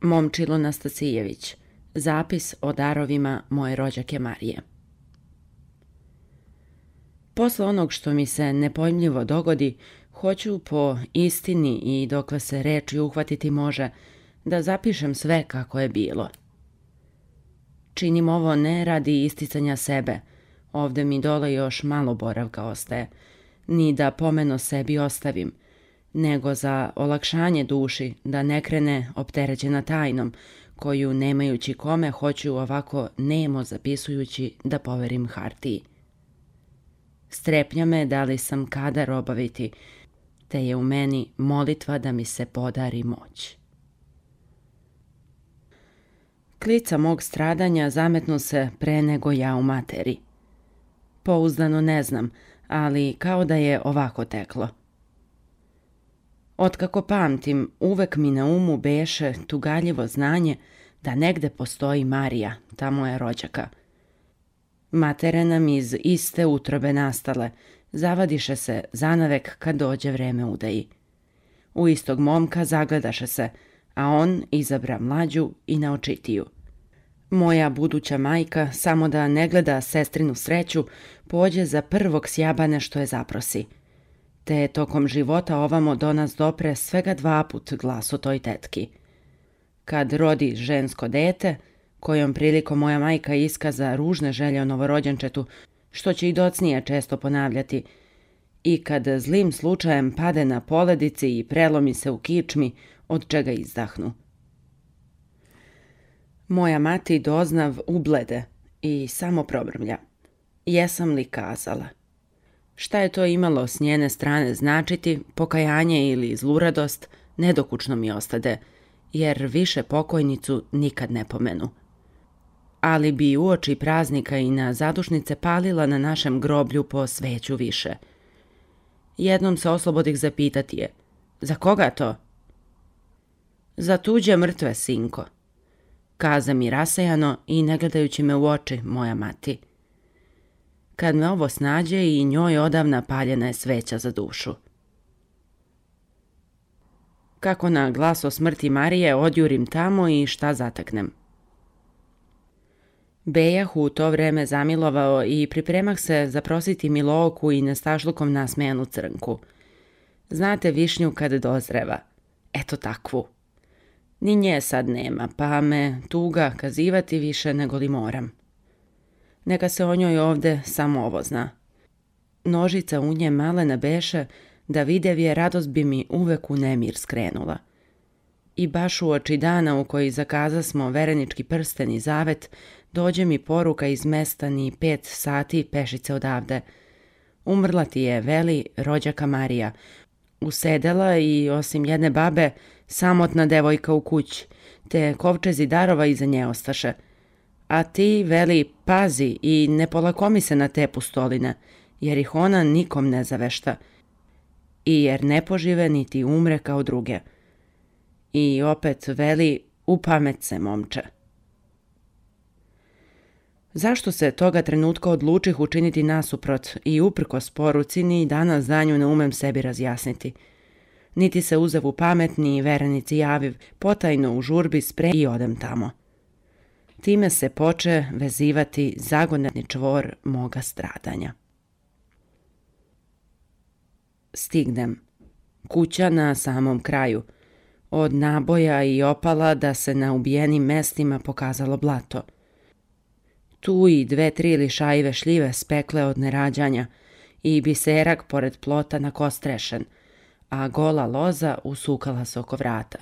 Momčilo Nastasijević. Zapis o darovima moje rođake Marije. Posle onog što mi se nepojmljivo dogodi, hoću po istini i dokle se reči uhvatiti može, da zapišem sve kako je bilo. Činim ovo ne radi isticanja sebe, ovde mi dole još malo boravka ostaje, ni da pomeno sebi ostavim, nego za olakšanje duši da ne krene opterećena tajnom, koju nemajući kome hoću ovako nemo zapisujući da poverim hartiji. Strepnja me da li sam kadar obaviti, te je u meni molitva da mi se podari moć. Klica mog stradanja zametnu se pre nego ja u materi. Pouzdano ne znam, ali kao da je ovako teklo. Otkako pamtim, uvek mi na umu beše tugaljivo znanje da negde postoji Marija, ta moja rođaka. Matere nam iz iste utrobe nastale, zavadiše se zanavek kad dođe vreme udaji. U istog momka zagledaše se, a on izabra mlađu i naočitiju. Moja buduća majka, samo da ne gleda sestrinu sreću, pođe za prvog sjabane što je zaprosi. Te tokom života ovamo do nas dopre svega 2 put glas o toj tetki. Kad rodi žensko dete, kojom prilikom moja majka iskaza ružne želje o novorođenčetu, što će i docnije često ponavljati, i kad zlim slučajem pade na poledici i prelomi se u kičmi, od čega izdahnu. Moja mati doznav ublede i samo probrmlja. Jesam li kazala? Šta je to imalo s njene strane značiti, pokajanje ili zluradost, nedokučno mi ostade, jer više pokojnicu nikad ne pomenu. Ali bi uoči praznika i na zadušnice palila na našem groblju po sveću više. Jednom se oslobodih zapitati je, za koga to? Za tuđe mrtve, sinko, kaza mi rasejano i ne gledajući me u oči moja mati. Kad me ovo snađe i njoj odavna paljena je sveća za dušu. Kako na glas o smrti Marije odjurim tamo i šta zateknem. Bejah u to vreme zamilovao i pripremah se zaprositi Milooku i nestašlukom nasmejanu crnku. Znate višnju kad dozreva. Eto takvu. Ni nje sad nema, pa me tuga kazivati više nego li moram. Neka se o njoj ovde samo ovo zna. Nožica u nje malena beše, da videv je radost bi mi uvek u nemir skrenula. I baš u oči dana u koji zakazasmo verenički prsten i zavet, dođe mi poruka iz mesta ni 5 sati pešice odavde. Umrla ti je, veli, rođaka Marija. Usedela i, osim jedne babe, samotna devojka u kući, te kovčezi darova iza nje ostaše. A ti, veli, pazi i ne polakomi se na te pustoline, jer ih ona nikom ne zavešta. I jer ne požive niti umre kao druge. I opet, veli, upamet se, momče. Zašto se toga trenutka odlučih učiniti nasuprot i uprkos poruci ni danas danju ne umem sebi razjasniti. Niti se uzev u pamet, ni verenici javiv, potajno u žurbi spre i odem tamo. Time se poče vezivati zagonetni čvor moga stradanja. Stignem. Kuća na samom kraju. Od naboja i opala da se na ubijenim mestima pokazalo blato. Tu i 2-3 lišajive šljive spekle od nerađanja i biserak pored plota nakostrešen, a gola loza usukala se oko vrata.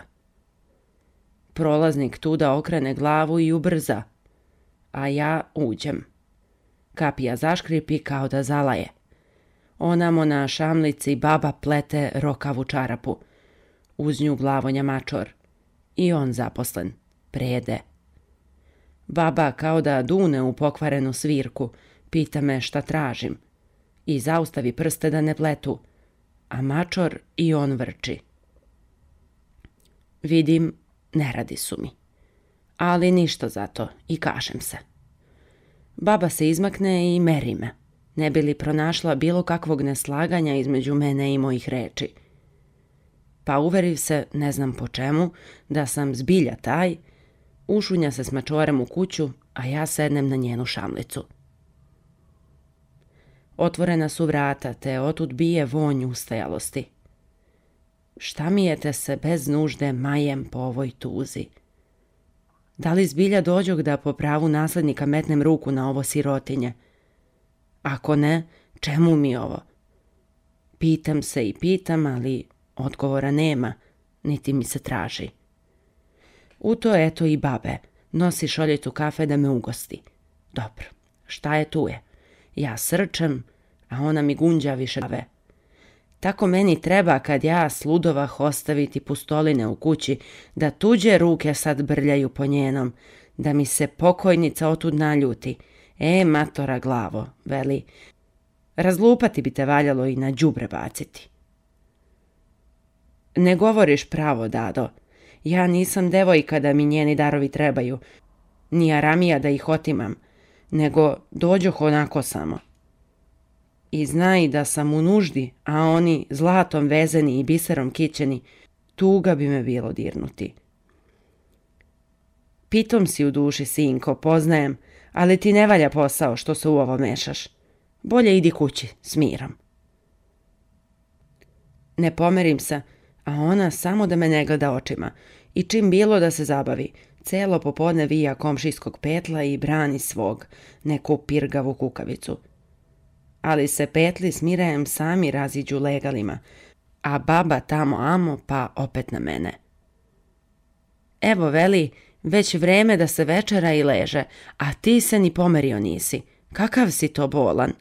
Prolaznik tuda okrene glavu i ubrza, a ja uđem. Kapija zaškripi kao da zalaje. Onamo na šamlici baba plete rokavu čarapu. Uz nju glavonja mačor. I on zaposlen. Prede. Baba kao da dune u pokvarenu svirku, pita me šta tražim. I zaustavi prste da ne pletu. A mačor i on vrči. Vidim, ne radi su mi. Ali ništa zato i kažem se. Baba se izmakne i meri me, ne bi li pronašla bilo kakvog neslaganja između mene i mojih reči. Pa uveriv se, ne znam po čemu, da sam zbilja taj, ušunja se s mačorem u kuću, a ja sednem na njenu šamlicu. Otvorena su vrata, te otud bije vonj ustajalosti. Šta mijete se bez nužde majem po ovoj tuzi? Da li zbilja dođog da po pravu naslednika metnem ruku na ovo sirotinje? Ako ne, čemu mi ovo? Pitam se i pitam, ali odgovora nema, niti mi se traži. U to eto i babe, nosi šoljicu kafe da me ugosti. Dobro, šta je tu je? Ja srčem, a ona mi gunđa više kave. Tako meni treba kad ja sludovah ostaviti pustoline u kući, da tuđe ruke sad brljaju po njenom, da mi se pokojnica otud naljuti. Matora glavo, veli, razlupati bi te valjalo i na đubre baciti. Ne govoriš pravo, Dado. Ja nisam devojka da mi njeni darovi trebaju, ni aramija da ih otimam, nego dođoh onako samo. I znaj da sam u nuždi, a oni zlatom vezeni i biserom kićeni, tuga bi me bilo dirnuti. Pitom si u duši, sinko, poznajem, ali ti ne valja posao što se u ovo mešaš. Bolje idi kući, s mirom. Ne pomerim se, a ona samo da me ne gleda očima i čim bilo da se zabavi, celo popodne vija komšijskog petla i brani svog, neku pirgavu kukavicu. Ali se petli s Mirajem sami raziđu legalima, a baba tamo amo pa opet na mene. Evo, veli, već vreme da se večera i leže, a ti se ni pomerio nisi. Kakav si to bolan?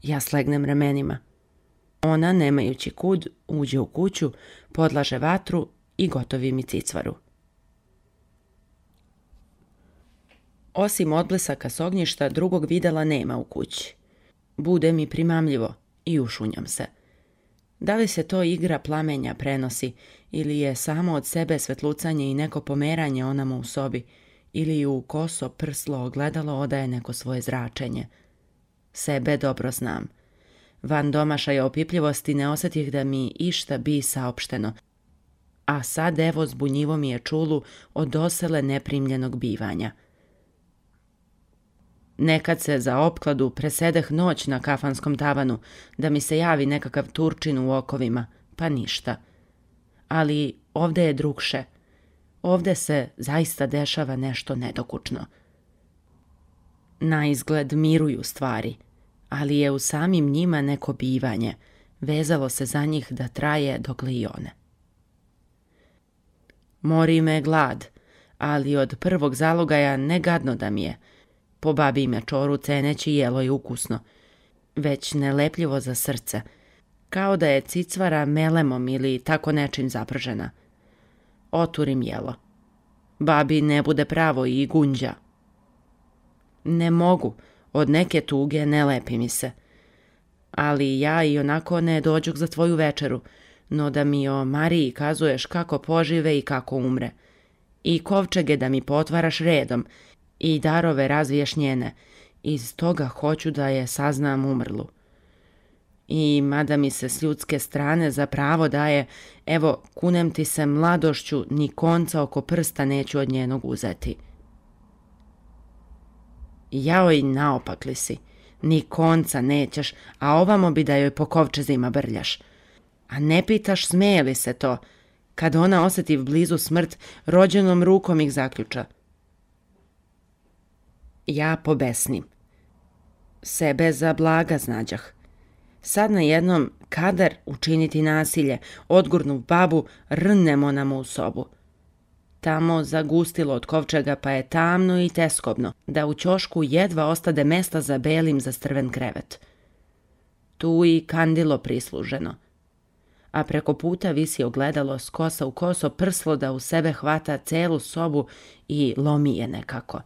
Ja slegnem ramenima. Ona, nemajući kud, uđe u kuću, podlaže vatru i gotovi mi cicvaru. Osim odblesaka s ognjišta, drugog videla nema u kući. Bude mi primamljivo i ušunjam se. Da li se to igra plamenja prenosi, ili je samo od sebe svetlucanje i neko pomeranje onamo u sobi, ili u koso prslo ogledalo odaje neko svoje zračenje. Sebe dobro znam. Van domašaja opipljivosti ne osjetih da mi išta bi saopšteno, a sad evo zbunjivo mi je čulu od dosele neprimljenog bivanja. Nekad se za opkladu presedeh noć na kafanskom tavanu, da mi se javi nekakav Turčin u okovima, pa ništa. Ali ovde je drugše. Ovde se zaista dešava nešto nedokučno. Na izgled miruju stvari, ali je u samim njima neko bivanje, vezalo se za njih da traje dokle i one. Mori me glad, ali od prvog zalogaja ne gadno da mi je. Po babi me čoru ceneći jelo je ukusno, već nelepljivo za srce, kao da je cicvara melemom ili tako nečim zapržena. Oturim jelo. Babi ne bude pravo i gunđa. Ne mogu, od neke tuge ne lepi mi se. Ali ja i onako ne dođuk za tvoju večeru, no da mi o Mariji kazuješ kako požive i kako umre. I kovčege da mi potvaraš redom, i darove razviješ njene, iz toga hoću da je saznam umrlu. I mada mi se s ljudske strane za pravo daje, evo, kunem ti se mladošću, ni konca oko prsta neću od njenog uzeti. Jaoj, naopak li si, ni konca nećeš, a ovamo bi da joj po kovčezima brljaš. A ne pitaš smeje li se to, kad ona osjeti blizu smrt, rođenom rukom ih zaključa. Ja pobesnim. Sebe za blaga znađah. Sad na jednom kadar učiniti nasilje, odgurnu babu, rnemo nam u sobu. Tamo zagustilo od kovčega pa je tamno i teskobno, da u ćošku jedva ostade mesta za belim zastrven krevet. Tu i kandilo prisluženo. A preko puta visi ogledalo s kosa u koso prslo da u sebe hvata celu sobu i lomi je nekako.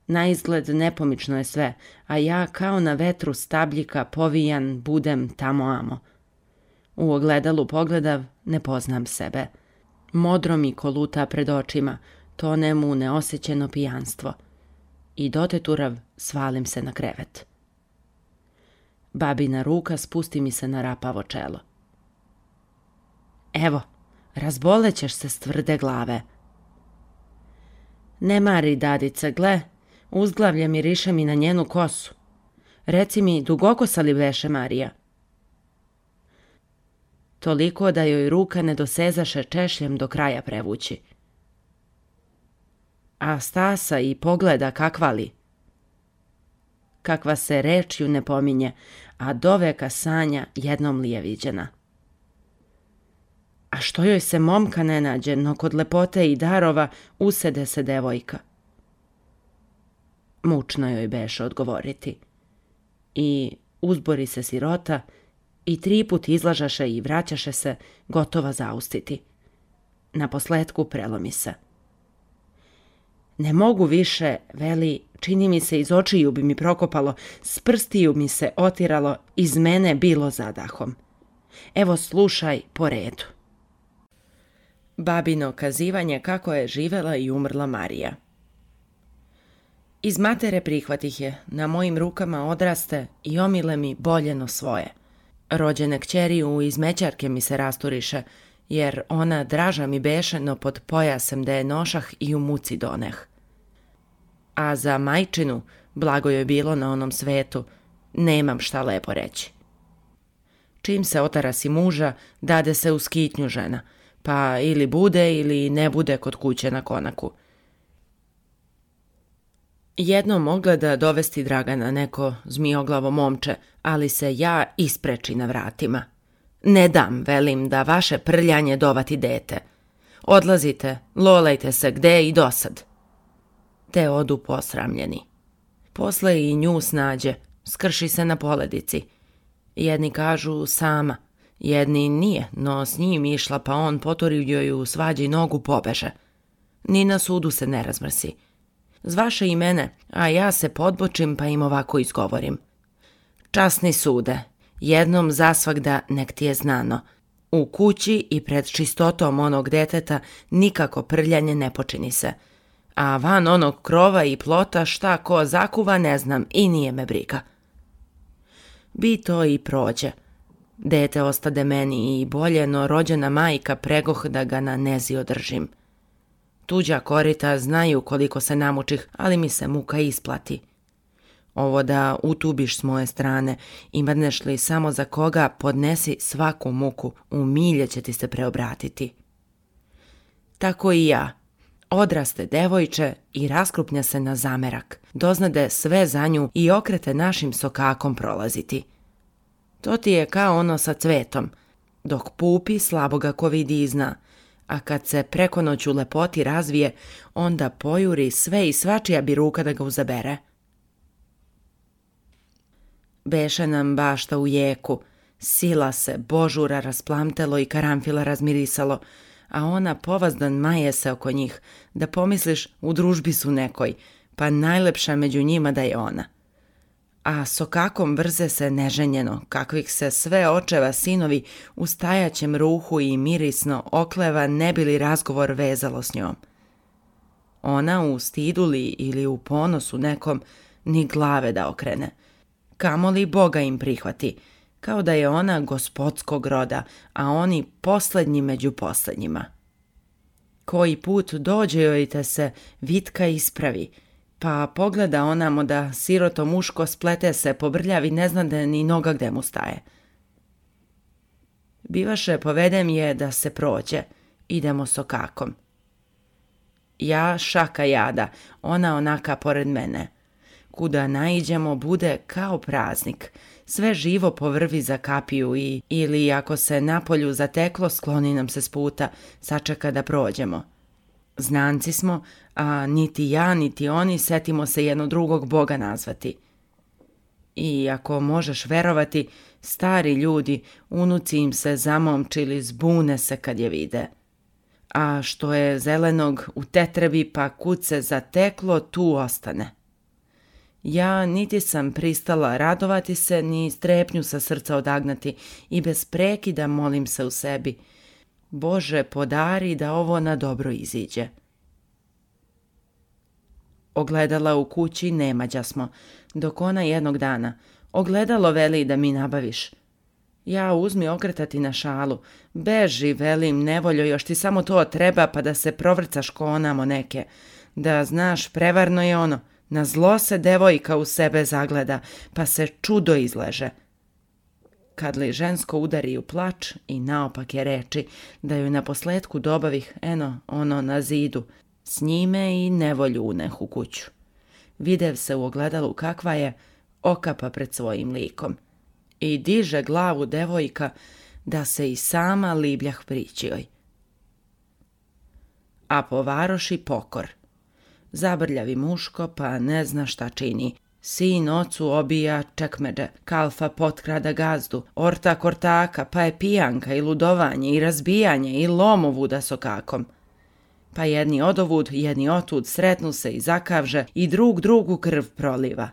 Na izgled nepomično je sve, a ja kao na vetru stabljika povijan budem tamo amo. U ogledalu pogledav, ne poznam sebe. Modro mi koluta pred očima, tone mu neosjećeno pijanstvo. I doteturav svalim se na krevet. Babina ruka spusti mi se na rapavo čelo. Evo, razbolećeš se s tvrde glave. Ne mari, dadice, gle, uzglavlje miriše mi na njenu kosu. Reci mi, dugokosa li beše Marija? Toliko da joj ruka ne dosezaše češljem do kraja prevući. A stasa i pogleda kakva li? Kakva se rečju ne pominje, a doveka sanja jednom li je viđena. A što joj se momka ne nađe, no kod lepote i darova usede se devojka. Mučno joj beše odgovoriti. I uzbori se sirota i 3 put izlažaše i vraćaše se, gotova zaustiti. Naposletku prelomi se. Ne mogu više, veli, čini mi se iz očiju bi mi prokopalo, s prstiju mi se otiralo, iz mene bilo zadahom. Evo slušaj po redu. Babino kazivanje kako je živela i umrla Marija. Iz matere prihvatih je, na mojim rukama odraste i omile mi boljeno svoje. Rođene kćeri u izmećarke mi se rasturiše, jer ona draža mi beše, no pod pojasem da je nošah i u muci doneh. A za majčinu, blago joj bilo na onom svetu, nemam šta lepo reći. Čim se otarasi muža, dade se u skitnju žena, pa ili bude ili ne bude kod kuće na konaku. Jednom ogleda dovesti Dragana neko zmioglavo momče, ali se ja ispreči na vratima. Ne dam, velim, da vaše prljanje dovati dete. Odlazite, lolajte se gde i dosad. Te odu posramljeni. Posle i nju snađe, skrši se na poledici. Jedni kažu sama, jedni nije, no s njim išla pa on poturi joj u svađi nogu pobeže. Ni na sudu se ne razmrsi. Zvaše i mene, a ja se podbočim pa im ovako izgovorim. Časni sude, jednom zasvagda nek ti je znano. U kući i pred čistotom onog deteta nikako prljanje ne počini se. A van onog krova i plota šta ko zakuva ne znam i nije me briga. Bi to i prođe. Dete ostade meni i bolje, no rođena majka pregoh da ga na nezi održim. Tuđa korita znaju koliko se namučih, ali mi se muka isplati. Ovo da utubiš s moje strane i mrneš li samo za koga, podnesi svaku muku, u milje će ti se preobratiti. Tako i ja. Odraste devojče i raskrupnja se na zamerak, doznade sve za nju i okrete našim sokakom prolaziti. To ti je kao ono sa cvetom, dok pupi slabo ga ko vidi i zna, a kad se preko noć u lepoti razvije, onda pojuri sve i svačija bi ruka da ga uzabere. Beše nam bašta u jeku, sila se, božura rasplamtelo i karanfila razmirisalo, a ona povazdan maje se oko njih, da pomisliš u družbi su nekoj, pa najlepša među njima da je ona. A sokakom vrze se neženjeno, kakvih se sve očeva sinovi u stajaćem ruhu i mirisno okleva ne bi li razgovor vezalo s njom. Ona u stidu li ili u ponosu nekom ni glave da okrene, kamoli Boga im prihvati, kao da je ona gospodskog roda, a oni poslednji među poslednjima. Koji put dođe joj te se vitka ispravi, pa pogleda onamo da siroto muško splete se, pobrljavi, ne zna da ni noga gde mu staje. Bivaše povedem je da se prođe, idemo sokakom. Ja šaka jada, ona onaka pored mene. Kuda naiđemo bude kao praznik, sve živo povrvi za kapiju ili ako se napolju zateklo skloni nam se s puta, sačeka da prođemo. Znanci smo, a niti ja niti oni setimo se jedno drugog Boga nazvati. I ako možeš verovati, stari ljudi, unuci im se zamomčili, zbune se kad je vide. A što je zelenog u tetrebi pa kud se zateklo, tu ostane. Ja niti sam pristala radovati se, ni strepnju sa srca odagnati i bez prekida molim se u sebi. Bože, podari da ovo na dobro iziđe. Ogledala u kući nemađa smo, dok ona jednog dana. Ogledalo veli da mi nabaviš. Ja uzmi okretati na šalu. Beži, velim, nevoljo, još ti samo to treba pa da se provrcaš ko onamo neke. Da znaš, prevarno je ono, na zlo se devojka u sebe zagleda, pa se čudo izleže. Kad li žensko udari u plač i naopake reči, da joj naposletku dobavih, ono na zidu, s njime i nevolju uneh u kuću. Videv se u ogledalu kakva je, okapa pred svojim likom. I diže glavu devojka da se i sama libljah prići joj. A po varoši pokor. Zabrljavi muško pa ne zna šta čini. Sin ocu obija čekmeđe, kalfa potkrada gazdu, ortak ortaka, pa je pijanka i ludovanje i razbijanje i lomovuda sokakom. Pa jedni odovud, jedni otud sretnu se i zakavže i drug drugu krv proliva.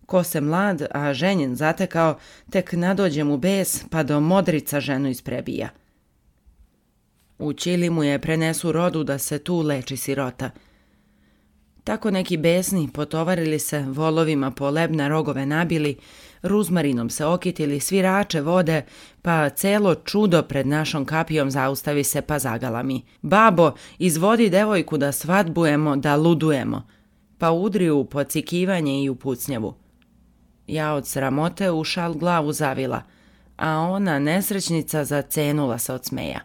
Ko se mlad, a ženjen zatekao, tek nadođe mu bes pa do modrica ženu isprebija. U Ćili mu je prenesu rodu da se tu leči sirota. Tako neki besni potovarili se, volovima po lebna rogove nabili, ruzmarinom se okitili, svirače vode, pa celo čudo pred našom kapijom zaustavi se pa zagalami. Babo, izvodi devojku da svadbujemo, da ludujemo, pa udri u pocikivanje i u pucnjavu. Ja od sramote u šal glavu zavila, a ona nesrećnica zacenula se od smeja.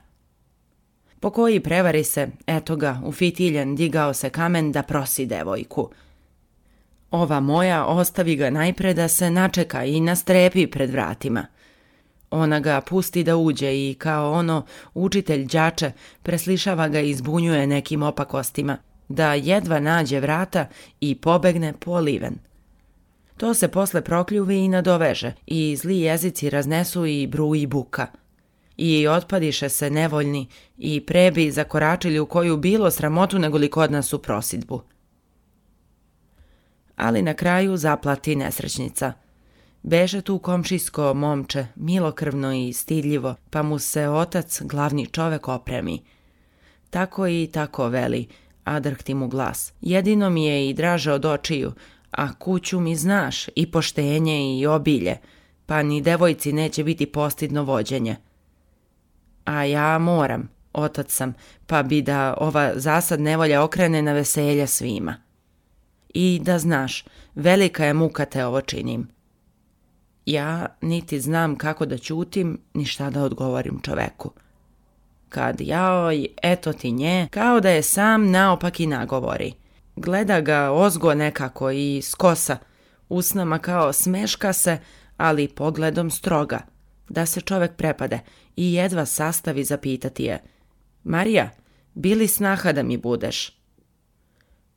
Po koji prevari se, eto ga, ufitiljen digao se kamen da prosi devojku. Ova moja ostavi ga najpre da se načeka i nastrepi pred vratima. Ona ga pusti da uđe i kao ono učitelj đače preslišava ga i zbunjuje nekim opakostima, da jedva nađe vrata i pobegne po liven. To se posle prokljuvi i nadoveže i zli jezici raznesu i bruji buka. I otpadiše se nevoljni i prebi zakoračili u koju bilo sramotu nego li kod nas u prosidbu. Ali na kraju zaplati nesrećnica. Beže tu komšijsko momče, milokrvno i stidljivo, pa mu se otac, glavni čovek, opremi. Tako i tako veli, a drhti mu glas. Jedino mi je i draže od očiju, a kuću mi znaš, i poštenje i obilje, pa ni devojci neće biti postidno vođenje. A ja moram, otac sam, pa bi da ova zasad nevolja okrene na veselje svima. I da znaš, velika je muka te ovo činim. Ja niti znam kako da ćutim, ni šta da odgovorim čoveku. Kad jaoj, eto ti nje, kao da je sam naopaki nagovori. Gleda ga ozgo nekako i skosa, usnama kao smeška se, ali pogledom stroga, da se čovek prepade i jedva sastavi zapitati je: Marija, bili snaha da mi budeš?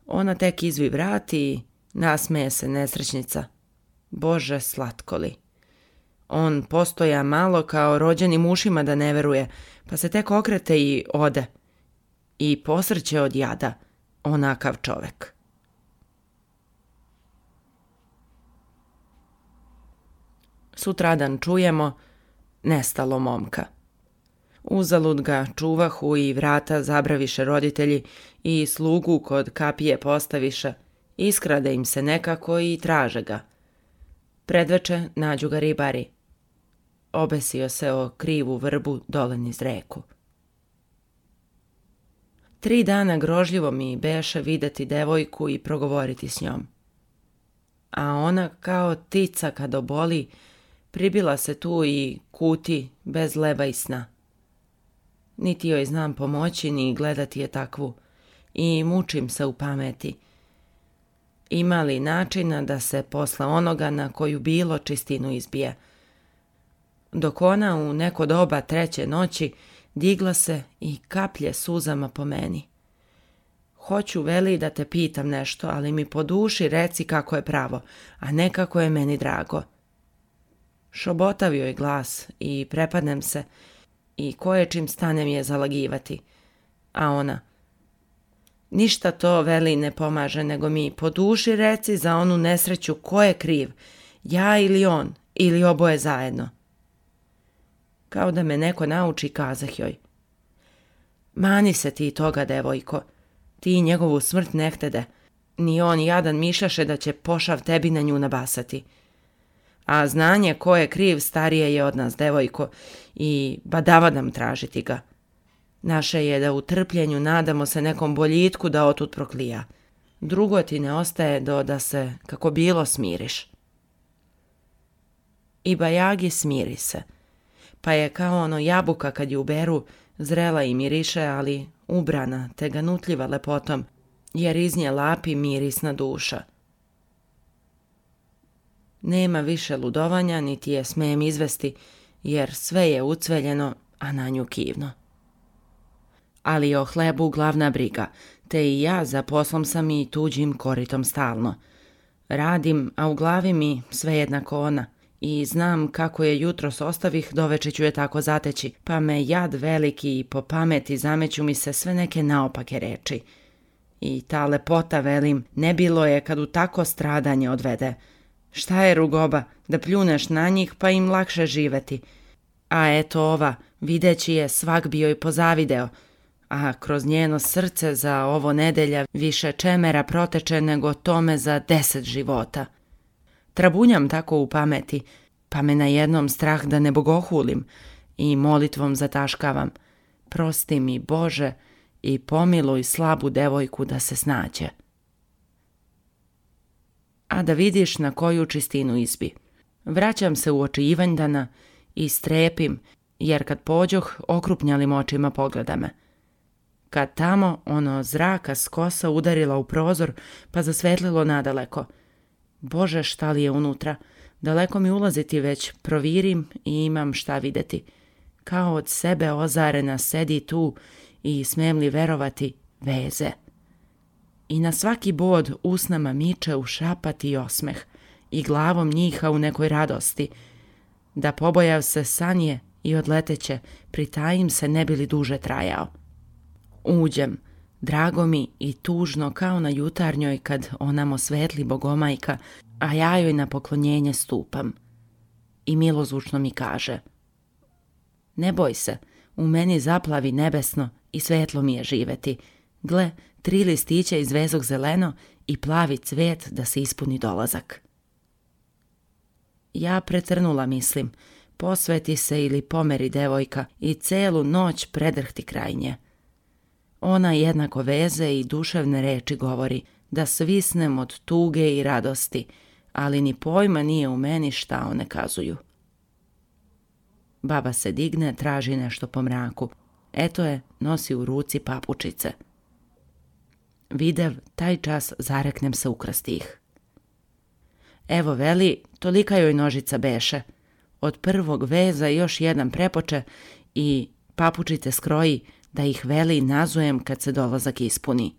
Ona tek izvi vrati i nasmeje se nesrećnica. Bože slatkoli. On postoja malo kao rođenim ušima da ne veruje, pa se tek okrete i ode. I posrće od jada, onakav čovek. Sutradan čujemo, nestalo momka. Uzalud ga čuvahu i vrata zabraviše roditelji i slugu kod kapije postaviše, iskrade im se nekako i traže ga. Predveče nađu ga ribari. Obesio se o krivu vrbu dole niz reku. 3 dana grožljivo mi beše videti devojku i progovoriti s njom. A ona kao tica kad oboli, pribila se tu i kuti bez leba i sna. Niti joj znam pomoći ni gledati je takvu i mučim se u pameti. Ima li načina da se posle onoga na koju bilo čistinu izbije? Dok ona u neko doba 3. noći digla se i kaplje suzama po meni. Hoću, veli, da te pitam nešto, ali mi po duši reci kako je pravo, a ne kako je meni drago. Šobotavio je glas i prepadnem se i koje čim stanem je zalagivati. A ona: ništa to, veli, ne pomaže, nego mi po duši reci za onu nesreću ko je kriv, ja ili on, ili oboje zajedno. Kao da me neko nauči, kazah joj: mani se ti toga, devojko, ti njegovu smrt ne htede, ni on jadan mišljaše da će pošav tebi na nju nabasati. A znanje ko je kriv starije je od nas, devojko, i badava nam tražiti ga. Naše je da u trpljenju nadamo se nekom boljitku da otud proklija. Drugo ti ne ostaje do da se, kako bilo, smiriš. I bajagi smiri se, pa je kao ono jabuka kad ju uberu, zrela i miriše, ali ubrana te ganutljiva lepotom, jer iz nje lapi mirisna duša. Nema više ludovanja, niti je smijem izvesti, jer sve je ucveljeno, a na nju kivno. Ali o hlebu glavna briga, te i ja za poslom sam i tuđim koritom stalno. Radim, a u glavi mi sve jednako ona, i znam kako je jutros ostavih, doveče ću je tako zateći, pa me jad veliki i po pameti zameću mi se sve neke naopake reči. I ta lepota, velim, ne bilo je kad u tako stradanje odvede. Šta je rugoba, da pljuneš na njih pa im lakše živeti. A eto ova, videći je, svak bi joj pozavideo, a kroz njeno srce za ovo nedelja više čemera proteče nego tome za 10 života. Trabunjam tako u pameti, pa me na jednom strah da ne bogohulim i molitvom zataškavam. Prosti mi, Bože, i pomiluj slabu devojku da se snađe. A da vidiš na koju čistinu izbi. Vraćam se u oči Ivandana i strepim, jer kad pođoh, okrupnjalim očima pogleda me. Kad tamo ono zraka s kosa udarila u prozor, pa zasvetlilo nadaleko. Bože, šta li je unutra? Daleko mi ulaziti već, provirim i imam šta videti. Kao od sebe ozarena sedi tu i smem li verovati, veze. I na svaki bod usnama miče u šapati osmeh i glavom njiha u nekoj radosti. Da pobojav se sanje i odleteće, pritajim se ne bi li duže trajao. Uđem, drago mi i tužno kao na jutarnjoj kad onamo svetli bogomajka, a ja joj na poklonjenje stupam. I milozvučno mi kaže: ne boj se, u meni zaplavi nebesno i svetlo mi je živeti. Gle, 3 listića iz vezog zeleno i plavi cvet da se ispuni dolazak. Ja pretrnula mislim, posveti se ili pomeri devojka i celu noć predrhti kraj nje. Ona jednako veze i duševne reči govori, da svisnem od tuge i radosti, ali ni pojma nije u meni šta one kazuju. Baba se digne, traži nešto po mraku. Eto je, nosi u ruci papučice. Videv, taj čas zareknem se ukrasti ih. Evo veli, tolika joj nožica beše. Od prvog veza još jedan prepoče i papučice skroji, da ih veli nazujem kad se dolazak ispuni.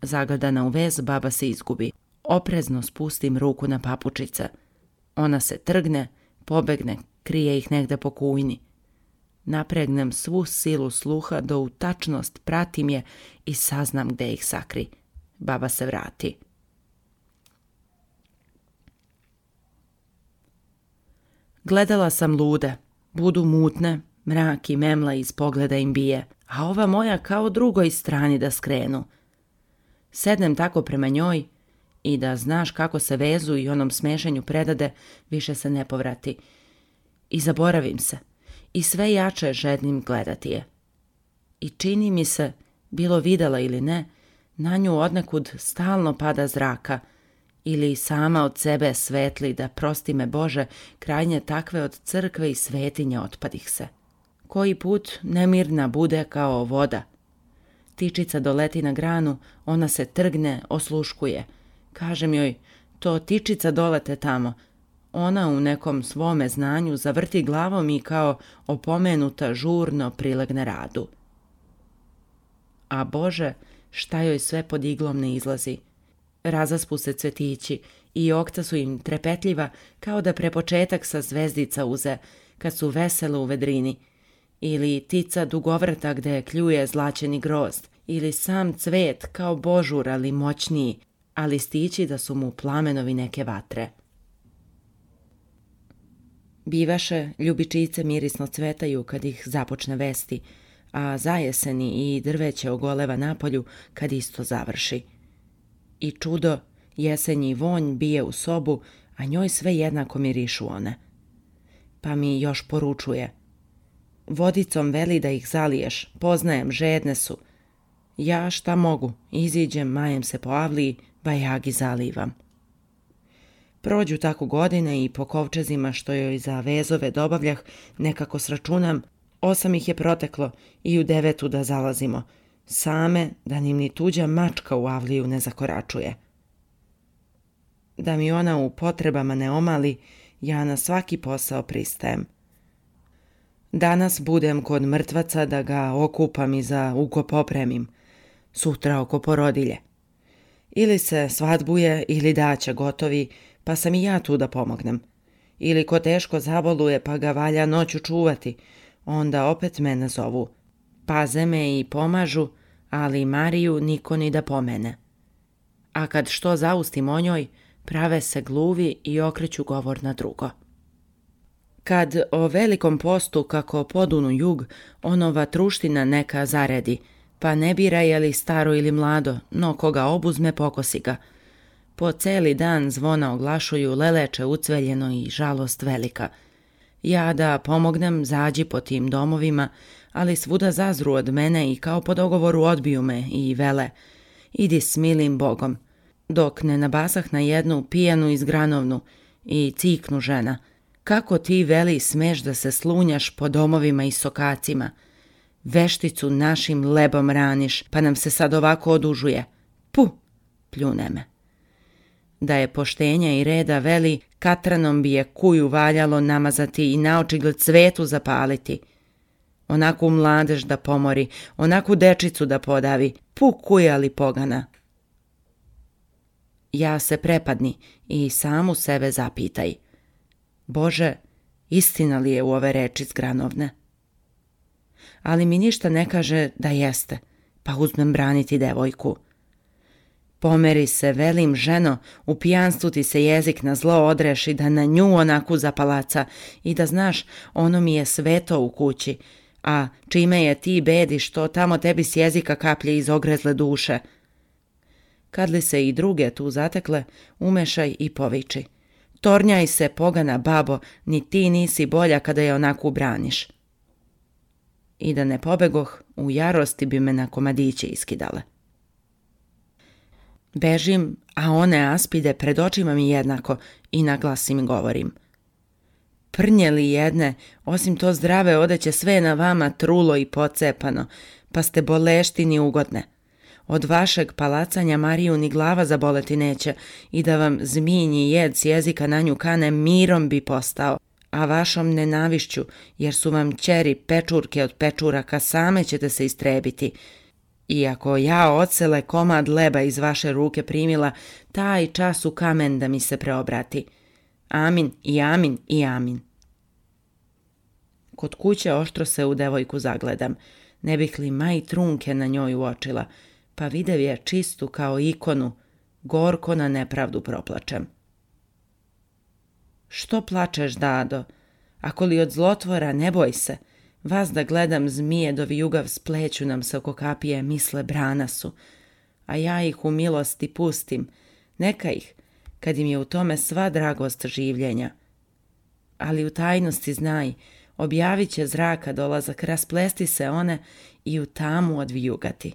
Zagledana u vez, baba se izgubi. Oprezno spustim ruku na papučice. Ona se trgne, pobegne, krije ih negde po kujni. Napregnem svu silu sluha do u tačnost pratim je i saznam gde ih sakri. Baba se vrati. Gledala sam lude, budu mutne, mrak i memla iz pogleda im bije, a ova moja kao drugoj strani da skrenu. Sednem tako prema njoj i da znaš kako se vezu i onom smešenju predade, više se ne povrati. I zaboravim se i sve jače žednim gledati je. I čini mi se, bilo videla ili ne, na nju odnekud stalno pada zraka ili sama od sebe svetli da prosti me Bože krajnje takve od crkve i svetinje otpadih se. Koji put nemirna bude kao voda. Tičica doleti na granu, ona se trgne, osluškuje. Kažem joj, to tičica dolete tamo. Ona u nekom svome znanju zavrti glavom i kao opomenuta žurno prilegne radu. A Bože, šta joj sve pod iglom ne izlazi. Razaspu se cvetići i okta su im trepetljiva kao da prepočetak sa zvezdica uze, kad su vesele u vedrini. Ili tica dugovrta gde kljuje zlačeni grozd, ili sam cvet kao božur, ali moćniji, a listići da su mu plamenovi neke vatre. Bivaše, ljubičice mirisno cvetaju kad ih započne vesti, a zajeseni i drveće ogoleva napolju kad isto završi. I čudo, jesenji vonj bije u sobu, a njoj sve jednako mirišu one. Pa mi još poručuje: vodicom veli da ih zaliješ, poznajem, žedne su. Ja šta mogu, iziđem, majem se po avliji, bajagi zalivam. Prođu tako godine i po kovčezima što joj za vezove dobavljah, nekako sračunam, 8 ih je proteklo i u 9 da zalazimo, same da nim ni tuđa mačka u avliju ne zakoračuje. Da mi ona u potrebama ne omali, ja na svaki posao pristajem. Danas budem kod mrtvaca da ga okupam i za ukop opremim, sutra oko porodilje. Ili se svadbuje ili daća gotovi, pa sam i ja tu da pomognem. Ili ko teško zaboluje pa ga valja noću čuvati, onda opet mene zovu. Paze me i pomažu, ali Mariju niko ni da pomene. A kad što zaustim o njoj, prave se gluvi i okreću govor na drugo. Kad o velikom postu kako podunu jug, onova truština neka zaredi, pa ne bira je li staro ili mlado, no koga obuzme pokosi ga. Po celi dan zvona oglašuju, leleče ucveljeno i žalost velika. Ja da pomognem, zađi po tim domovima, ali svuda zazru od mene i kao po dogovoru odbiju me i vele: idi s milim Bogom. Dok ne nabasah na jednu pijanu izgranovnu i ciknu žena: kako ti, veli, smeš da se slunjaš po domovima i sokacima? Vešticu našim lebom raniš, pa nam se sad ovako odužuje. Pu, pljune me. Da je poštenja i reda, veli, katranom bi je kuju valjalo namazati i naočigled cvetu zapaliti. Onaku mladež da pomori, onaku dečicu da podavi, pu kujali pogana. Ja se prepadni i samu sebe zapitaj: Bože, istina li je u ove reči zgranovne? Ali mi ništa ne kaže da jeste, pa uzmem braniti devojku. Pomeri se, velim, ženo, u pijanstvu ti se jezik na zlo odreši, da na nju onaku zapalaca i da znaš, ono mi je sveto u kući, a čime je ti bedi što tamo tebi s jezika kaplje iz ogrezle duše. Kad li se i druge tu zatekle, umešaj i poviči: tornjaj se, pogana babo, ni ti nisi bolja kada je onako braniš. I da ne pobegoh, u jarosti bi me na komadiće iskidale. Bežim, a one aspide pred očima mi jednako i na glas im govorim: prnje li jedne, osim to zdrave odeće sve na vama trulo i pocepano, pa ste boleštini ugodne. Od vašeg palacanja Mariju ni glava zaboleti neće i da vam zmijnji jed s jezika na nju kane, mirom bi postao, a vašom nenavišću, jer su vam ćeri pečurke od pečuraka, same ćete se istrebiti. I ako ja odsele komad leba iz vaše ruke primila, taj čas u kamen da mi se preobrati. Amin i amin i amin. Kod kuće oštro se u devojku zagledam, ne bih li maj trunke na njoj uočila, pa videv je čistu kao ikonu, gorko na nepravdu proplačem. Što plačeš, dado? Ako li od zlotvora, ne boj se. Vas da gledam zmije do vijugav spleću nam se oko kapije, misle brana su. A ja ih u milosti pustim, neka ih, kad im je u tome sva dragost življenja. Ali u tajnosti znaj, objavit će zraka dolazak, rasplesti se one i u tamu odvijugati.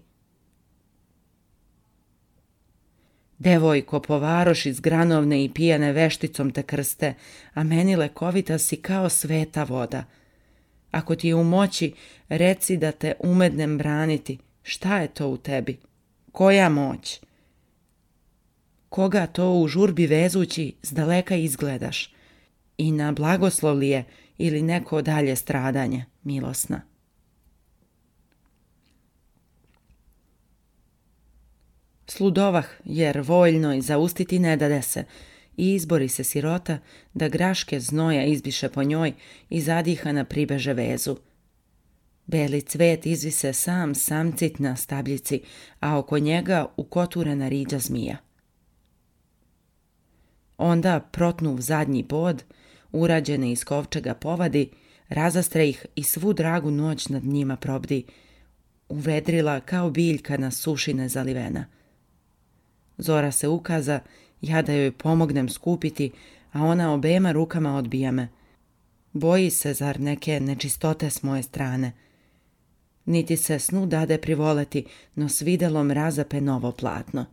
Devojko, po varoši zgranovne i pijane vešticom te krste, a meni lekovita si kao sveta voda. Ako ti je u moći, reci da te umednem braniti. Šta je to u tebi? Koja moć? Koga to u žurbi vezući zdaleka izgledaš? I na blagoslov li je ili neko dalje stradanje, milosna? Sludovah, jer voljno i zaustiti ne dade se, i izbori se sirota da graške znoja izbiše po njoj i zadihana pribeže vezu. Beli cvet izvise sam samcit na stabljici, a oko njega ukoturena riđa zmija. Onda protnuv zadnji bod, urađene iz kovčega povadi, razastre ih i svu dragu noć nad njima probdi, uvedrila kao biljka na sušine zalivena. Zora se ukaza, ja da joj pomognem skupiti, a ona obema rukama odbija me. Boji se, zar, neke nečistote s moje strane. Niti se snu dade privoleti, no s videlom razape novo platno.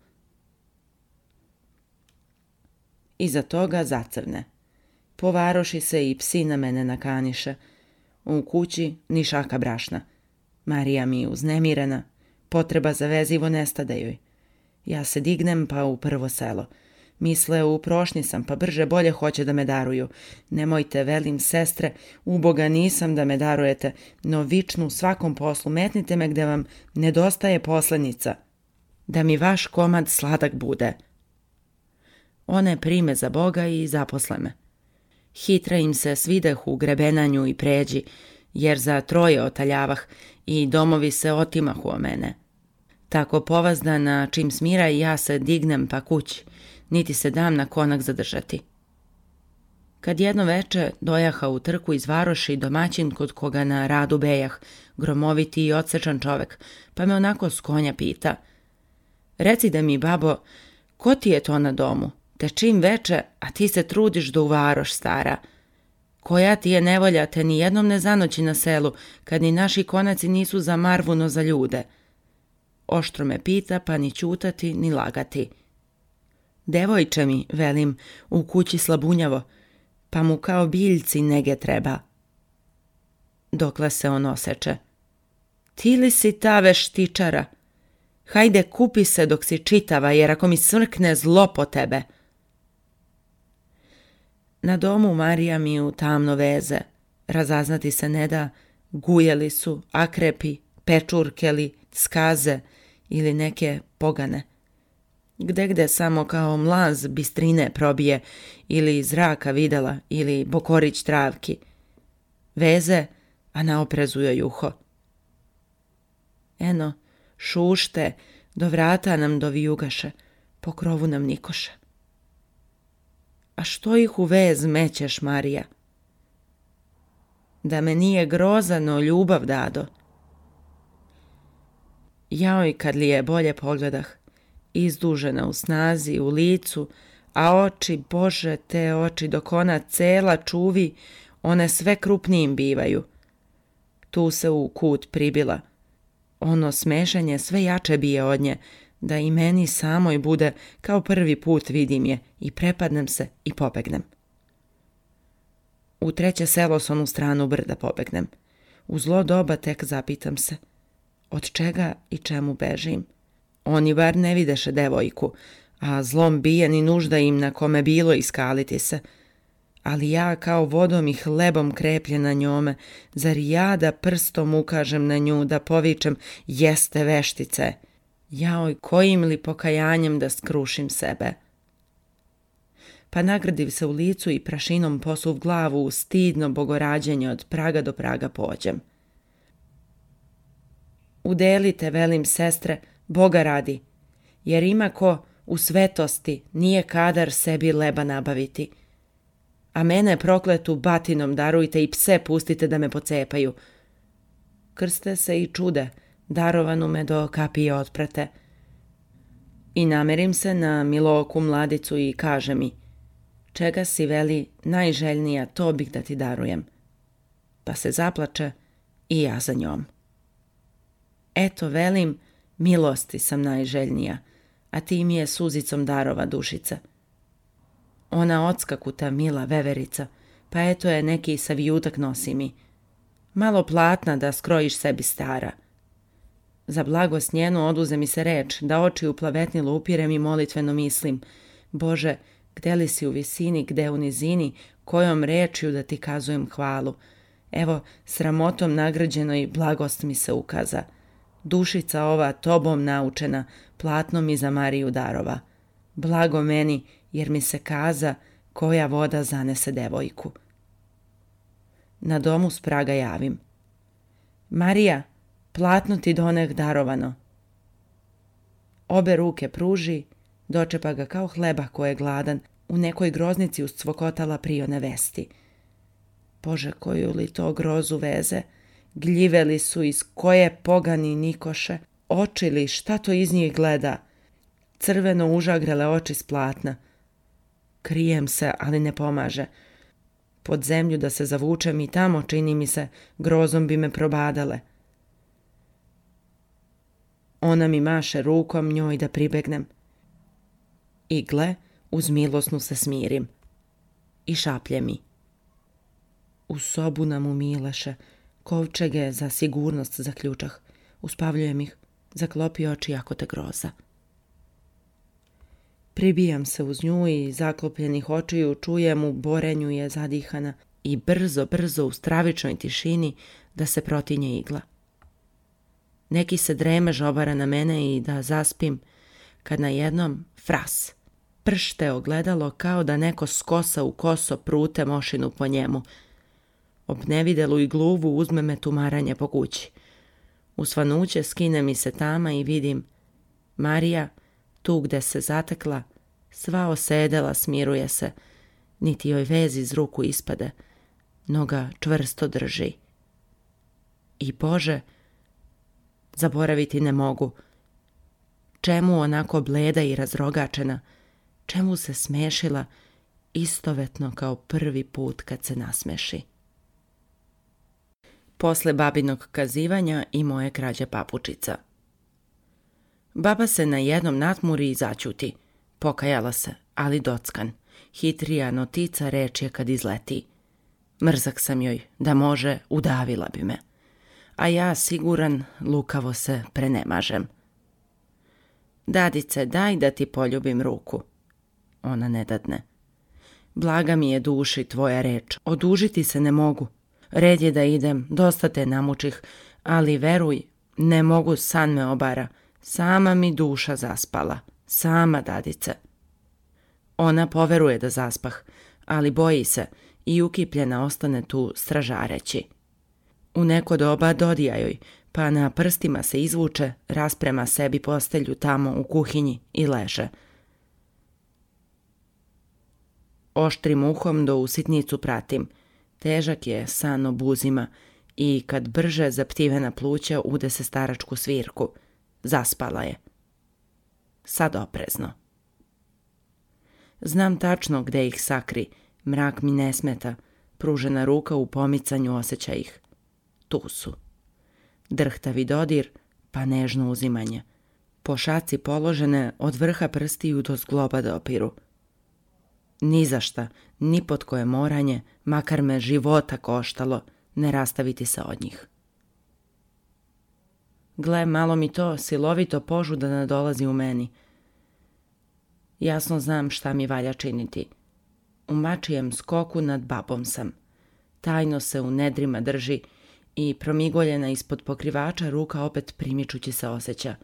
Iza toga zacrne. Povaroši se i psi na mene nakaniše. U kući ni šaka brašna. Marija mi uznemirena, potreba za vezivo nestade joj. Ja se dignem pa u prvo selo. Misle, u prošnji sam, pa brže bolje hoće da me daruju. Nemojte, velim, sestre, uboga nisam da me darujete, no vičnu u svakom poslu, metnite me gde vam nedostaje poslenica, da mi vaš komad sladak bude. One prime za Boga i zaposle me. Hitra im se svideh u grebenanju i pređi, jer za troje otaljavah i domovi se otimahu o mene. Tako povazdana, čim smira i ja se dignem pa kući, niti se dam na konak zadržati. Kad jedno veče dojaha u trku iz varoši domaćin kod koga na radu bejah, gromoviti i odsečan čovek, pa me onako s konja pita: "Reci da mi, babo, ko ti je to na domu? Te čim veče, a ti se trudiš da u varoš, stara. Koja ti je nevolja, te ni jednom ne zanoći na selu, kad ni naši konaci nisu za marvu, no za ljude." Oštro me pita, pa ni ćutati, ni lagati. "Devojče mi," velim, "u kući slabunjavo, pa mu kao biljci nege treba." Dokle se on oseče: "Ti li si ta veštičara? Hajde, kupi se dok si čitava, jer ako mi smrkne, zlo po tebe." Na domu Marija mi u tamno veze. Razaznati se ne da, gujeli su, akrepi, pečurkeli, skaze ili neke pogane. Gde samo kao mlaz bistrine probije, ili zraka videla, ili bokorić travki. Veze, a na oprezu joj uho. Eno, šušte, do vrata nam dovijugaše, po krovu nam nikoše. "A što ih u vez mećeš, Marija?" "Da me nije grozano ljubav dado." Jaoj, kad li je bolje pogledah, izdužena u snazi, u licu, a oči, Bože, te oči, dok ona cela čuvi, one sve krupnijim bivaju. Tu se u kut pribila. Ono smešanje sve jače bije od nje, da i meni samoj bude kao prvi put vidim je i prepadnem se i pobegnem. U treće selo s onu stranu brda pobegnem. U zlo doba tek zapitam se: od čega i čemu bežim? Oni bar ne videše devojku, a zlom bije ni nužda im na kome bilo iskaliti se. Ali ja kao vodom i hlebom krepljena njome, zar ja da prstom ukažem na nju, da povičem: "Jeste veštice"? Jaoj, kojim li pokajanjem da skrušim sebe? Pa nagradiv se u licu i prašinom posuv glavu u stidno bogorađenje od praga do praga pođem. Udelite, velim, sestre, Boga radi, jer ima ko u svetosti nije kadar sebi leba nabaviti. A mene prokletu batinom darujte i pse pustite da me pocepaju. Krste se i čude, darovanu me do kapije otprate. I namerim se na Miloku mladicu i kaže mi: "Čega si, veli, najželjnija, to bih da ti darujem." Pa se zaplače i ja za njom. Eto, velim, milosti sam najželjnija, a ti mi je suzicom darova, dušice. Ona odskakuta, mila veverica, pa eto je neki savijutak nosi mi. Malo platna da skrojiš sebi, stara. Za blagost njenu oduze mi se reč, da oči u plavetnilu upirem i molitveno mislim: "Bože, gde li si u visini, gde u nizini, kojom rečju da ti kazujem hvalu? Evo, sramotom nagrađenoj blagost mi se ukaza. Dušica ova tobom naučena, platno mi za Mariju darova. Blago meni, jer mi se kaza koja voda zanese devojku." Na domu s praga javim: "Marija, platno ti doneh darovano." Obe ruke pruži, dočepa ga kao hleba ko je gladan, u nekoj groznici uscvokotala prione vesti. Bože, koju li to grozu veze, gljive li su iz koje pogani nikoše, oči li, šta to iz njih gleda, crveno užagrele oči s platna. Krijem se, ali ne pomaže. Pod zemlju da se zavučem i tamo, čini mi se, grozom bi me probadale. Ona mi maše rukom njoj da pribegnem. I gle, uz milosnu se smirim. I šaplje mi. U sobu nam umileše, kovčege za sigurnost zaključah. Uspavljujem ih, zaklopi oči ako te groza. Pribijam se uz nju i zaklopljenih očiju čujem u borenju je zadihana i brzo u stravičnoj tišini da se protinje igla. Neki se dremež obara na mene i da zaspim, kad najednom fras, pršte ogledalo kao da neko skosa u koso prute mošinu po njemu. Ob nevidelu i gluvu uzme me tumaranje po kući. U svanuće skine mi se tama i vidim Marija, tu gde se zatekla, sva osedela, smiruje se, niti joj vez iz ruku ispade, noga čvrsto drži. I Bože, zaboraviti ne mogu. Čemu onako bleda i razrogačena, čemu se smešila, istovetno kao prvi put kad se nasmeši. Posle babinog kazivanja i moje krađe papučica. Baba se na jednom natmuri i začuti. Pokajala se, ali dockan. Hitrija notica reč je kad izleti. Mrzak sam joj, da može, udavila bi me. A ja, siguran, lukavo se prenemažem. Dadice, daj da ti poljubim ruku. Ona ne dadne. Blaga mi je duši tvoja reč, odužiti se ne mogu. Red je da idem, dosta te namučih, ali veruj, ne mogu, san me obara. Sama mi duša zaspala, sama dadice. Ona poveruje da zaspah, ali boji se i ukipljena ostane tu stražareći. U neko doba dodija joj, pa na prstima se izvuče, rasprema sebi postelju tamo u kuhinji i leže. Oštrim uhom do u sitnicu pratim. Težak je san o buzima i kad brže zaptivena pluća ude se staračku svirku. Zaspala je. Sad oprezno. Znam tačno gde ih sakri, mrak mi ne smeta, pružena ruka u pomicanju osjeća ih. Tu su. Drhtavi dodir, pa nežno uzimanje. Po šaci položene od vrha prstiju do zgloba dopiru. Ni za šta, ni pod koje moranje, makar me života koštalo, ne rastaviti se od njih. Gle, malo mi to silovito požuda nadolazi u meni. Jasno znam šta mi valja činiti. U mačijem skoku nad babom sam. Tajno se u nedrima drži i promigoljena ispod pokrivača ruka opet primičući se osjeća.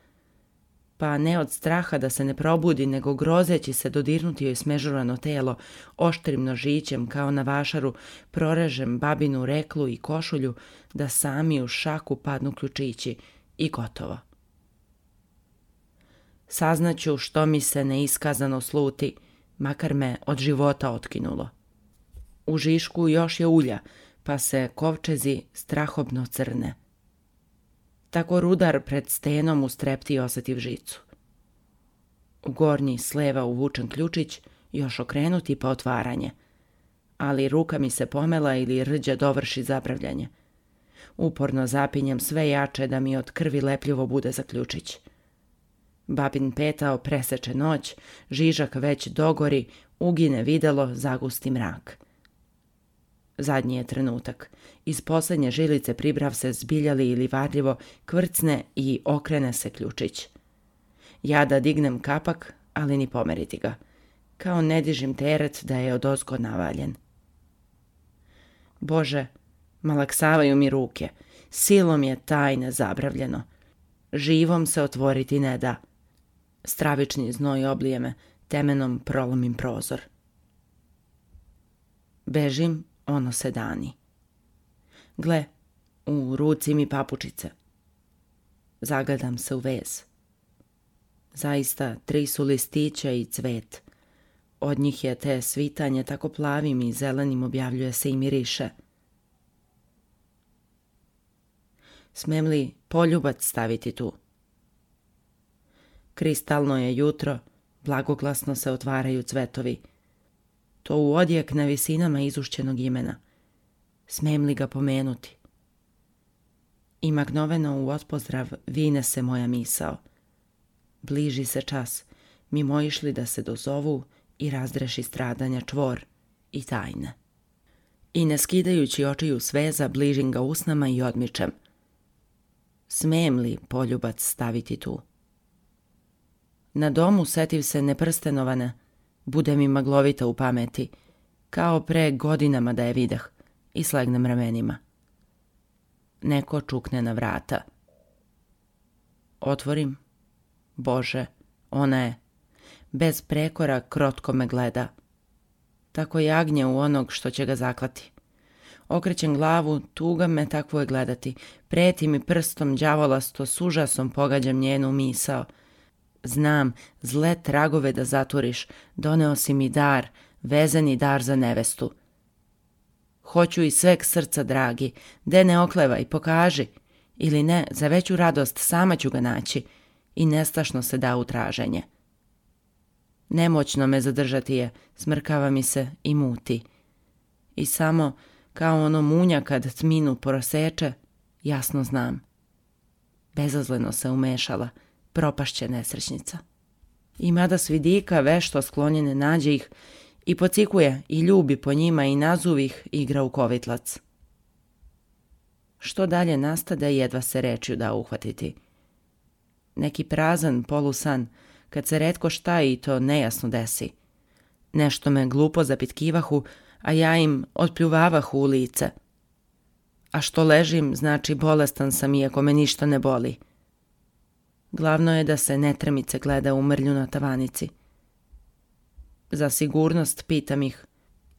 Pa ne od straha da se ne probudi, nego grozeći se dodirnuti joj smežurano telo, oštrim nožićem kao na vašaru prorežem babinu reklu i košulju da sami u šaku padnu ključići i gotovo. Saznaću što mi se neiskazano sluti, makar me od života otkinulo. U žišku još je ulja, pa se kovčezi strahobno crne. Tako rudar pred stenom u strepti osetiv žicu. U gornji sleva uvučen ključić, još okrenuti pa otvaranje. Ali ruka mi se pomela ili rđa dovrši zapravljanje. Uporno zapinjem sve jače da mi od krvi lepljivo bude za ključić. Babin petao preseče noć, žižak već dogori, ugine videlo, zagusti mrak. Zadnji je trenutak. Iz posljednje žilice pribrav se zbiljali ili varljivo, kvrcne i okrene se ključić. Ja da dignem kapak, ali ni pomeriti ga. Kao ne dižim teret da je odozgo navaljen. Bože, malaksavaju mi ruke. Silom je tajne zabravljeno. Živom se otvoriti ne da. Stravični znoj oblije me, temenom prolomim prozor. Bežim, ono se dani. Gle, u ruci mi papučice. Zagledam se u vez. Zaista 3 su listića i cvet. Od njih je te svitanje tako plavim i zelenim objavljuje se i miriše. Smem li poljubac staviti tu? Kristalno je jutro, blagoglasno se otvaraju cvetovi. to u odjek na visinama izušćenog imena. Smijem li ga pomenuti? I magnoveno u otpozdrav vine se moja misao. Bliži se čas, mimoišli da se dozovu i razdreši stradanja čvor i tajne. I ne skidajući očiju sveza, bližim ga usnama i odmičem. Smijem li poljubac staviti tu? Na domu setiv se neprstenovane, bude mi maglovita u pameti, kao pre godinama da je videh, i slegnem ramenima. Neko čukne na vrata. Otvorim. Bože, ona je. Bez prekora krotko me gleda. Tako jagnje u onog što će ga zaklati. Okrećem glavu, tuga me takvo je gledati. Preti mi prstom đavolasto, s užasom pogađam njenu misao. Znam, zle tragove da zaturiš, doneo si mi dar, vezani dar za nevestu. Hoću iz sveg srca, dragi, de ne oklevaj, pokaži, ili ne, za veću radost sama ću ga naći, i nestašno se da u traženje. Nemoćno me zadržati je, smrkava mi se i muti. I samo, kao ono munja kad tminu proseče, jasno znam. Bezazleno se umešala, propašće nesrećnica. I mada s vidika vešto sklonjene nađe ih, i pocikuje i ljubi po njima i nazuvih igra u kovitlac. Što dalje nastade, jedva se rečju da uhvatiti. Neki prazan polusan, kad se retko šta i to nejasno desi. Nešto me glupo zapitkivahu, a ja im otpljuvavahu u lice. A što ležim, znači bolestan sam iako me ništa ne boli. Glavno je da se netremice gleda u mrlju na tavanici. Za sigurnost pitam ih,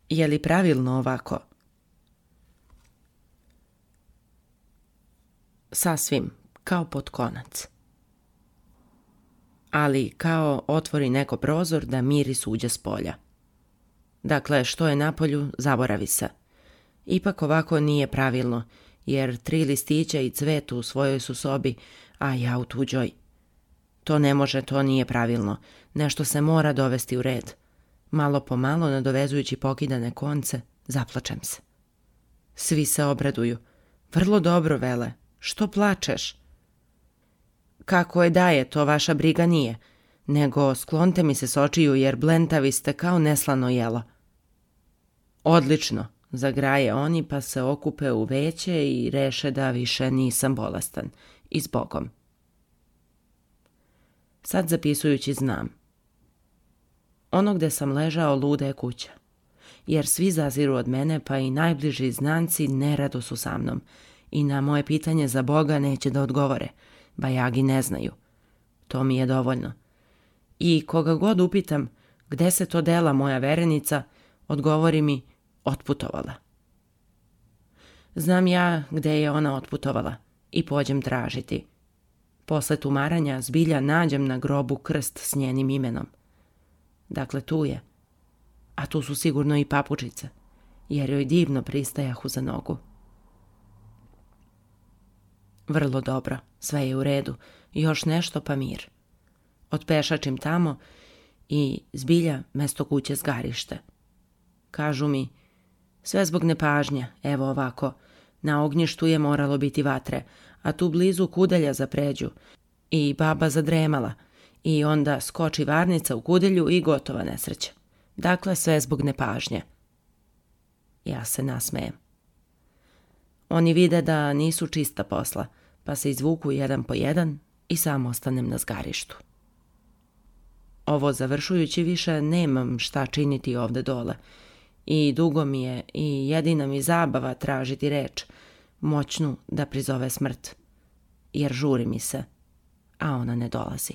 je li pravilno ovako? Sasvim, kao pod konac. Ali kao otvori neko prozor da miris uđe s polja. Dakle, što je napolju, zaboravi se. Ipak ovako nije pravilno, jer 3 listića i cvet u svojoj su sobi, a ja u tuđoj. To ne može, to nije pravilno. Nešto se mora dovesti u red. Malo po malo, nadovezujući pokidane konce, zaplačem se. Svi se obraduju. Vrlo dobro, vele. Što plačeš? Kako je daje, to vaša briga nije. Nego sklonte mi se s očiju, jer blentavi ste kao neslano jelo. Odlično, zagraje oni, pa se okupe u veće i reše da više nisam bolestan. I s Bogom. Sad zapisujući znam. Ono gde sam ležao luda je kuća. Jer svi zaziru od mene, pa i najbliži znanci nerado su sa mnom. I na moje pitanje za Boga neće da odgovore. Bajagi ne znaju. To mi je dovoljno. I koga god upitam gde se to dela moja verenica, odgovori mi otputovala. Znam ja gde je ona otputovala i pođem tražiti. Posle tumaranja zbilja nađem na grobu krst s njenim imenom. Dakle, tu je. A tu su sigurno i papučice, jer joj divno pristajahu za nogu. Vrlo dobro, sve je u redu, još nešto pa mir. Otpešačim tamo i zbilja mesto kuće zgarište. Kažu mi, sve zbog nepažnje, evo ovako, na ognjištu je moralo biti vatre, a tu blizu kudelja za pređu i baba zadremala i onda skoči varnica u kudelju i gotova nesreća. Dakle, sve zbog nepažnje. Ja se nasmejem. Oni vide da nisu čista posla, pa se izvuku jedan po jedan i sam ostanem na zgarištu. Ovo završujući više nemam šta činiti ovde dole. I dugo mi je i jedina mi zabava tražiti reč, moćnu da prizove smrt. Jer žuri mi se, a ona ne dolazi.